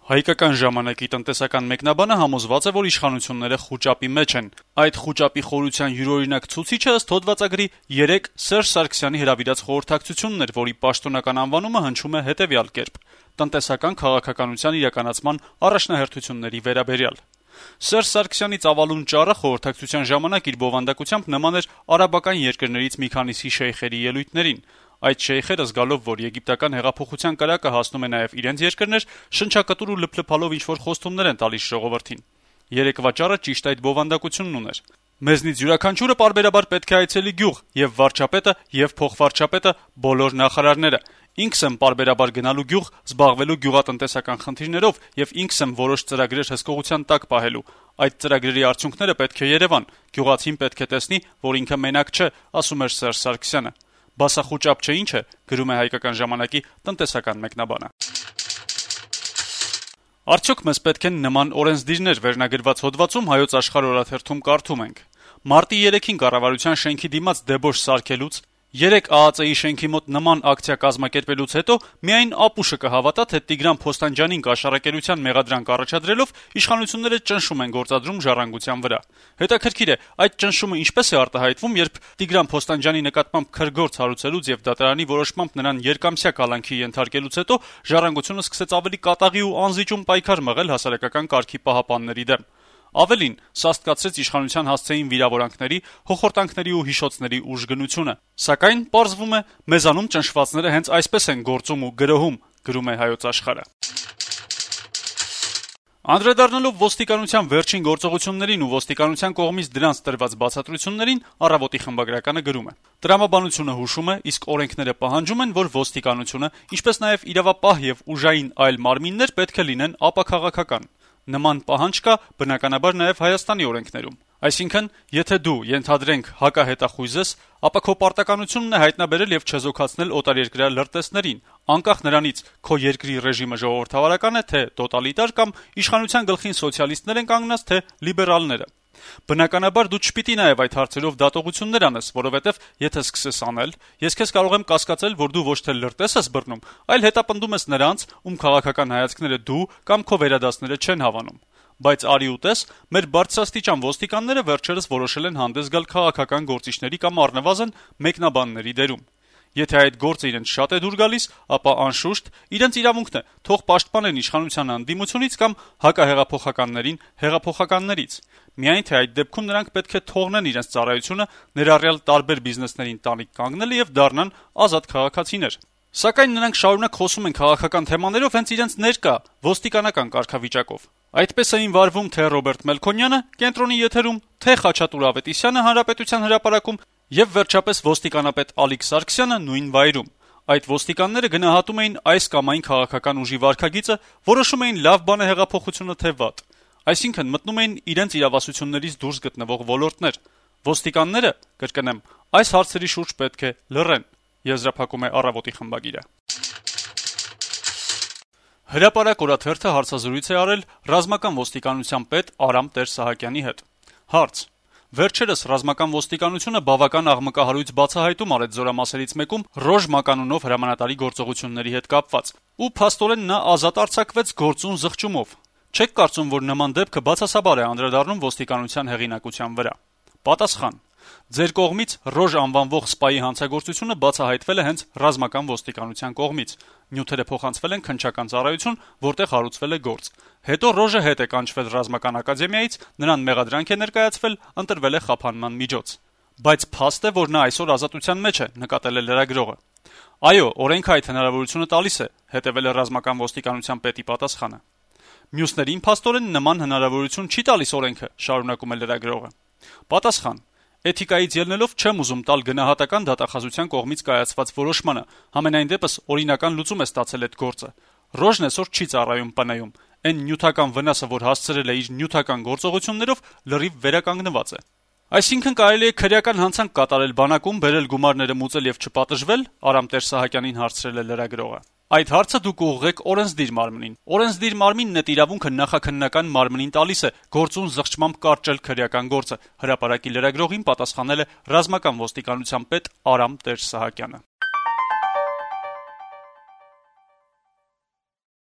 Հայկական ժամանակի տնտեսական մեկնաբանը համոզված է, որ իշխանությունները խուճապի մեջ են։ Այդ խուճապի խորության յուրօրինակ ցուցիչը ըստ հոդվածագրի 3 Սերժ Սարգսյանի հրավիրած խորհրդակցությունն էր, որի պաշտոնական անվանումը հնչում է հետեւյալ կերպ. տնտեսական քաղաքականության իրականացման առաջնահերթությունների վերաբերյալ։ Սերժ Սարգսյանի ծավալուն ճառը խորհրդակցության ժամանակ իր բովանդակությամբ նման էր արաբական երկրներից մի քանիսի շեյխերի ելույթներին։ Այդ շեյխերը զգալով, որ եգիպտական հեղափոխության կրակը հասնում է նաև իրենց երկրներ, շնչակտուր ու լփլփալով ինչ-որ խոստումներ են տալիս ժողովրդին։ Երեկվա ճառը ճիշտ այդ բովանդակությունն ուներ։ Մեզնից յուրաքանչյուրը պարբերաբար պետք է այցելի գյուղ, եւ վարչապետը, եւ փոխվարչապետը, բոլոր նախարարները։ Ինքս եմ պարբերաբար գնալու գյուղ, զբաղվելու գյուղատնտեսական խնդիրներով եւ ինքս եմ որոշ ծրագրեր հսկողության տակ պահելու։ Այդ ծրագրերի արդյունքները պետք է երևան։ Գյուղացին պետք է տեսնի, որ ինքը մենակ չէ, ասում էր Սերժ Սարգսյանը։ Բասախուճապ չէ ինչ է, գրում է Հայկական ժամանակի տնտեսական մեկնաբանը։ Արդյոք մեզ պետք են նման օրենսդիրներ վերնագրված հոդվածում Հայոց Աշխարհ օրաթերթում կարդում ենք. Մարտի 3-ին կառավարության շենքի դիմաց դեբոժ սարքելուց, 3 ԱԱԾ-ի շենքի մոտ նման ակցիա կազմակերպելուց հետո միայն ապուշը կհավատա, թե Տիգրան Փոստանջյանին կաշառակերության մեղադրանք առաջադրելով իշխանությունները ճնշում են գործադրում ժառանգության վրա։ Հետաքրքիր է, այդ ճնշումը ինչպես է արտահայտվում, երբ Տիգրան Փոստանջյանի նկատմամբ քրգործ հարուցելուց եւ դատարանի որոշմամբ նրան երկամսյա կալանքի ենթարկելուց հետո ժառանգությունը սկսեց ավելի կատաղի ու անզիջում պայքար մղել հասարակական կարգի պահապանների դեմ։ Ավելին, սաստկացրեց իշխանության հասցեին վիրավորանքների, հոխորտանքների ու հիշոցների ուժգնությունը։ Սակայն, պարզվում է, մեզանում ճնշվածները հենց այսպես են գործում ու գրոհում, գրում է Հայոց Աշխարհը։ Անդրադառնալով ոստիկանության վերջին գործողություններին ու ոստիկանության կողմից դրանց տրված բացատրություններին, Առավոտի խմբագրականը գրում է. Տրամաբանությունը հուշում է, իսկ օրենքները պահանջում են, որ ոստիկանությունը, ինչպես նաև իրավապահ եւ ուժային այլ մարմիններ պետք է լինեն ապաքաղաքական։ Նման պահանջ կա բնականաբար նաև Հայաստանի օրենքներում։ Այսինքն, եթե դու ենթադրենք հակահետախույզ ես, ապա քո պարտականությունն է հայտնաբերել եւ չեզոքացնել օտարերկրյա լրտեսներին, անկախ նրանից քո երկրի ռեժիմը ժողովրդավարական է, թե տոտալիտար կամ իշխանության գլխին սոցիալիստներ են կանգնած, թե լիբերալները։ Բնականաբար դու չպիտի նաև այդ հարցերով դատողություններ անես, որովհետև եթե սկսես անել, ես քեզ կարող եմ կասկածել, որ դու ոչ թե լրտես ես բռնում, այլ հետապնդում ես նրանց, ում քաղաքական հայացքները դու կամ քո վերադասները չեն հավանում։ Բայց արի ու տես, մեր բարձրաստիճան ոստիկանները վերջերս որոշել են հանդես գալ քաղաքական գործիչների կամ առնվազն մեկնաբանների դերում։ Եթե այդ գործը իրենց շատ է դուր գալիս, ապա անշուշտ իրենց իրավունքն է, թող պաշտպանեն իշխանության անդիմությունից կամ հակահեղափոխականներին հեղափոխականներից։ Միայն թե այդ դեպքում նրանք պետք է թողնեն իրենց ծառայությունը, ներառյալ տարբեր բիզնեսներին տանիք կանգնելը եւ դառնան ազատ քաղաքացիներ։ Սակայն նրանք շարունակ խոսում են քաղաքական թեմաներով հենց իրենց ներկա ոստիկանական կարգավիճակով։ Այդպես էին վարվում թե Ռոբերտ Մելքոնյանը կենտրոնի եթերում, թե Խաչատուր Ավետիսյանը Հանրապետության հրապարակում եւ վերջապես ոստիկանապետ Ալիկ Սարգսյանը նույն վայրում։ Այդ ոստիկանները գնահատում էին այս կամ այն քաղաքական ուժի վարքագիծը, որոշում էին լավ բան է հեղափոխությունը թե վատ։ Այսինքն մտնում էին իրենց իրավասություններից դուրս գտնվող ոլորտներ։ Ոստիկանները, կրկնեմ, այս հարցերի շուրջ պետք է լռեն, եզրափակում է Առավոտի խմբագիրը։ Հրապարակ օրաթերթը հարցազրույց է արել ռազմական ոստիկանության պետ Արամ Տեր-Սահակյանի հետ։ Հարց. Վերջերս ռազմական ոստիկանությունը բավական աղմկահարույց բացահայտում արեց զորամասերից մեկում Ռոժ մականունով հրամանատարի գործողությունների հետ կապված, ու փաստորեն նա ազատ արձակվեց գործուն զղջումով։ Չեք կարծում, որ նման դեպքը բացասաբար է անդրադառնում ոստիկանության հեղինակության վրա։ Պատասխան. Ձեր կողմից Ռոժ անվանվող սպայի հանցագործությունը բացահայտվել է հենց ռազմական ոստիկանության կողմից։ Նյութերը փոխանցվել են քննչական ծառայություն, որտեղ հարուցվել է գործ։ Հետո Ռոժը հետ է կանչվել ռազմական ակադեմիայից, նրան մեղադրանք է ներկայացվել, ընտրվել է խափանման միջոց։ Բայց փաստ է, որ նա այսօր ազատության մեջ է, նկատել է լրագրողը։ Այո, օրենքը այդ հնարավորությունը տալիս է, հետևել է ռազմական ոստիկանության պետի պատասխանը։ Մյուսներին փաստորեն նման հնարավորություն չի տալիս օրենքը, շարունակում է լրագրողը։ Պատասխան. Էթիկայից ելնելով չեմ ուզում տալ գնահատական դատախազության կողմից կայացված որոշմանը, համենայն դեպս օրինական լուծում է ստացել այդ գործը։ Ռոժն այսօր չի ծառայում ՊՆ-ում, այն նյութական վնասը, որ հասցրել է իր նյութական գործողություններով, լրիվ վերականգնված է։ Այսինքն կարելի է քրեական հանցանք կատարել բանակում, բերել գումարները մուծել եւ չպատժվել, Արամ Տեր-Սահակյանին հարցրել է լրագրողը։ Այդ հարցը դուք ուղղեք օրենսդիր մարմնին։ Օրենսդիր մարմինն այդ իրավունքը նախաքննական մարմնին տալիս է գործուն զղջմամբ կարճել քրեական գործը, հրապարակի լրագրողին պատասխանել է ռազմական ոստիկանության պետ Արամ Տեր-Սահակյանը։